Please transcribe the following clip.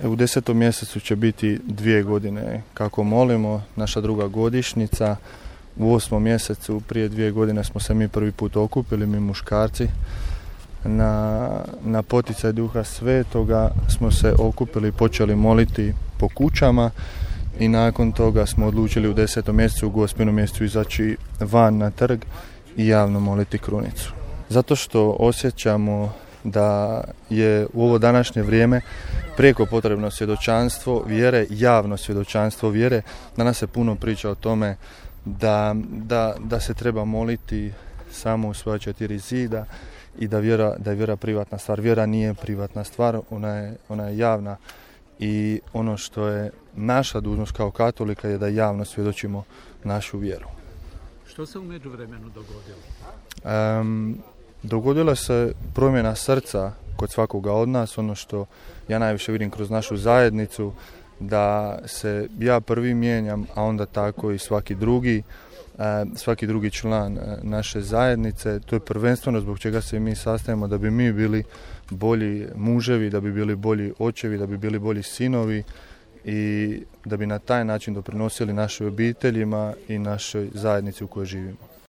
U 10. mjesecu će biti 2 godine kako molimo, naša druga godišnjica. U 8. mjesecu prije 2 godine smo se mi prvi put okupili, mi muškarci. Na poticaj Duha Svetoga smo se okupili i počeli moliti po kućama i nakon toga smo odlučili u 10. mjesecu, u Gospinom mjesecu izaći van na trg i javno moliti krunicu. Zato što osjećamo da je u ovo današnje vrijeme prijeko potrebno svjedočanstvo vjere, javno svjedočanstvo vjere. Danas se puno priča o tome da se treba moliti samo u svoja 4 zida i da je vjera privatna stvar. Vjera nije privatna stvar, ona je javna i ono što je naša dužnost kao katolika je da javno svjedočimo našu vjeru. Što se u međuvremenu dogodilo? Dogodila se promjena srca kod svakoga od nas, ono što ja najviše vidim kroz našu zajednicu, da se ja prvi mijenjam, a onda tako i svaki drugi član naše zajednice. To je prvenstveno zbog čega se mi sastajemo, da bi mi bili bolji muževi, da bi bili bolji očevi, da bi bili bolji sinovi i da bi na taj način doprinosili našim obiteljima i našoj zajednici u kojoj živimo.